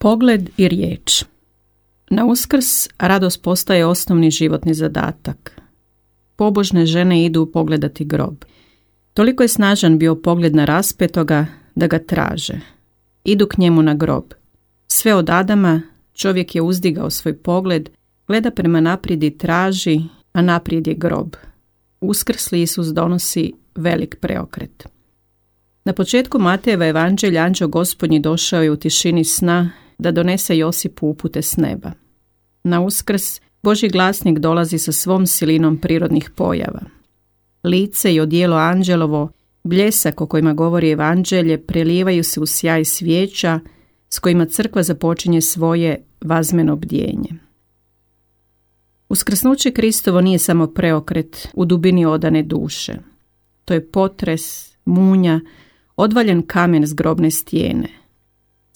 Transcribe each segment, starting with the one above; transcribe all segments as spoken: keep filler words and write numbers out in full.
Pogled i riječ. Na Uskrs radost postaje osnovni životni zadatak. Pobožne žene idu pogledati grob. Toliko je snažan bio pogled na raspetoga da ga traže. Idu k njemu na grob. Sve od Adama čovjek je uzdigao svoj pogled, gleda prema naprijed i traži, a naprijed je grob. Uskrsli Isus donosi velik preokret. Na početku Matejeva evanđelja anđeo Gospodnji došao je u tišini sna da donese Josipu upute s neba. Na Uskrs Božji glasnik dolazi sa svom silinom prirodnih pojava. Lice i odijelo anđelovo, bljesak o kojima govori evanđelje, prelijevaju se u sjaj svijeća s kojima crkva započinje svoje vazmeno bdjenje. Uskrsnuće Kristovo nije samo preokret u dubini odane duše. To je potres, munja, odvaljen kamen s grobne stijene.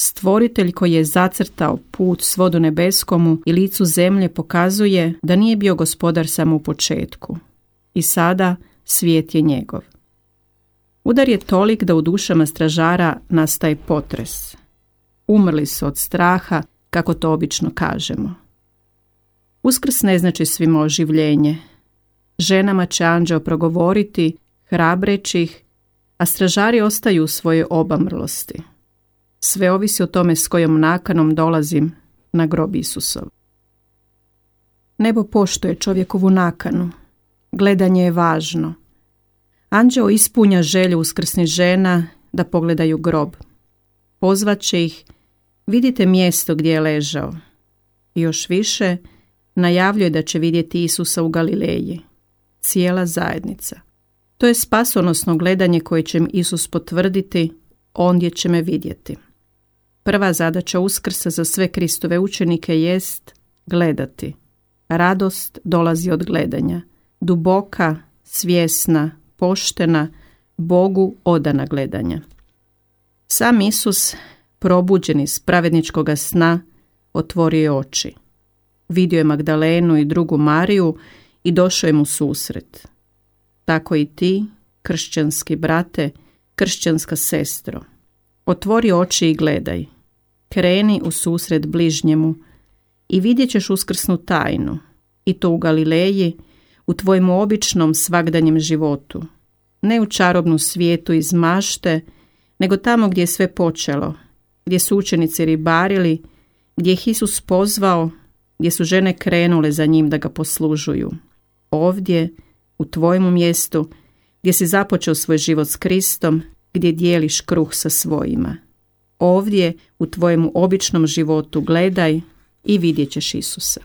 Stvoritelj koji je zacrtao put svodu nebeskomu i licu zemlje pokazuje da nije bio gospodar samo u početku. I sada svijet je njegov. Udar je tolik da u dušama stražara nastaje potres. Umrli su od straha, kako to obično kažemo. Uskrs ne znači svima oživljenje. Ženama će anđeo progovoriti, hrabreći ih, a stražari ostaju u svojoj obamrlosti. Sve ovisi o tome s kojom nakanom dolazim na grob Isusov. Nebo poštuje čovjekovu nakanu. Gledanje je važno. Anđeo ispunja želju uskrsnih žena da pogledaju grob. Pozvaće ih, vidite mjesto gdje je ležao. I još više, najavljuje da će vidjeti Isusa u Galileji. Cijela zajednica. To je spasonosno gledanje koje će im Isus potvrditi, ondje će me vidjeti. Prva zadaća Uskrsa za sve Kristove učenike jest gledati. Radost dolazi od gledanja. Duboka, svjesna, poštena, Bogu odana gledanja. Sam Isus, probuđen iz pravedničkoga sna, otvorio je oči. Vidio je Magdalenu i drugu Mariju i došao je mu susret. Tako i ti, kršćanski brate, kršćanska sestro, otvori oči i gledaj. Kreni u susret bližnjemu i vidjet ćeš uskrsnu tajnu, i to u Galileji, u tvojem običnom svagdanjem životu. Ne u čarobnu svijetu iz mašte, nego tamo gdje je sve počelo, gdje su učenici ribarili, gdje ih Isus pozvao, gdje su žene krenule za njim da ga poslužuju. Ovdje, u tvojemu mjestu, gdje si započeo svoj život s Kristom, gdje dijeliš kruh sa svojima. Ovdje, u tvojemu običnom životu, gledaj i vidjet ćeš Isusa.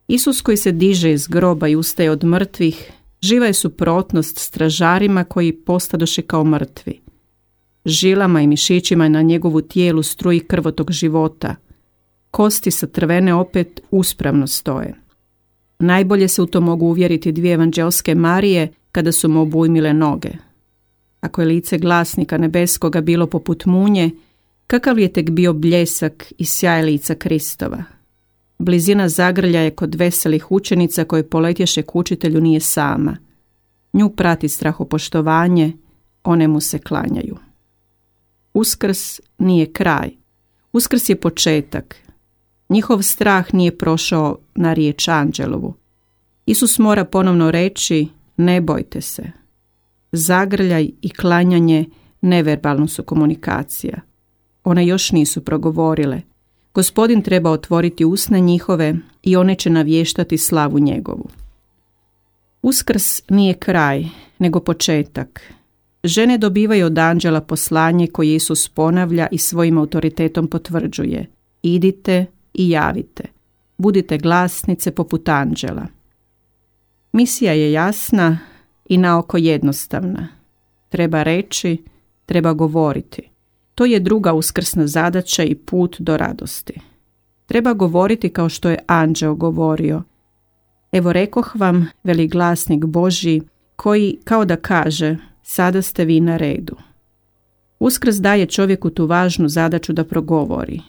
Isus koji se diže iz groba i ustaje od mrtvih, živa je suprotnost stražarima koji postadoše kao mrtvi. Žilama i mišićima na njegovu tijelu struji krvotok života. Kosti sa trvene opet uspravno stoje. Najbolje se u to mogu uvjeriti dvije evanđelske Marije kada su mu obujmile noge. Ako je lice glasnika nebeskoga bilo poput munje, kakav je tek bio bljesak i sjaj lica Kristova. Blizina zagrljaje kod veselih učenica koje poletješe k učitelju nije sama. Nju prati strahopoštovanje, one mu se klanjaju. Uskrs nije kraj. Uskrs je početak. Njihov strah nije prošao na riječ anđelovu. Isus mora ponovno reći, ne bojte se. Zagrljaj i klanjanje neverbalno su komunikacija. One još nisu progovorile. Gospodin treba otvoriti usne njihove i one će navještati slavu njegovu. Uskrs nije kraj, nego početak. Žene dobivaju od anđela poslanje koje Isus ponavlja i svojim autoritetom potvrđuje. Idite i javite. Budite glasnice poput anđela. Misija je jasna i naoko jednostavna. Treba reći, treba govoriti. To je druga uskrsna zadaća i put do radosti. Treba govoriti kao što je anđeo govorio. Evo rekoh vam, veli glasnik Božji, koji kao da kaže, sada ste vi na redu. Uskrs daje čovjeku tu važnu zadaću da progovori.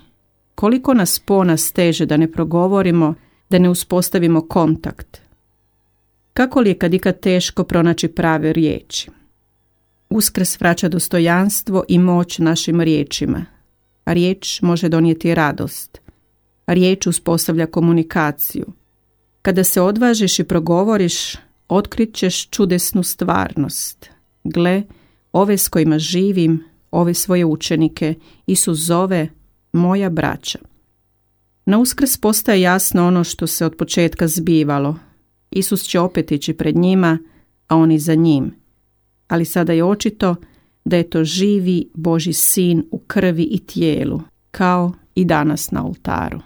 Koliko nas pona steže da ne progovorimo, da ne uspostavimo kontakt. Kako li je kad ikad teško pronaći prave riječi? Uskrs vraća dostojanstvo i moć našim riječima. Riječ može donijeti radost. Riječ uspostavlja komunikaciju. Kada se odvažiš i progovoriš, otkrit ćeš čudesnu stvarnost. Gle, ove s kojima živim, ove svoje učenike, Isus zove moja braća. Na Uskrs postaje jasno ono što se od početka zbivalo. Isus će opet ići pred njima, a oni za njim. Ali sada je očito da je to živi Božji sin u krvi i tijelu, kao i danas na oltaru.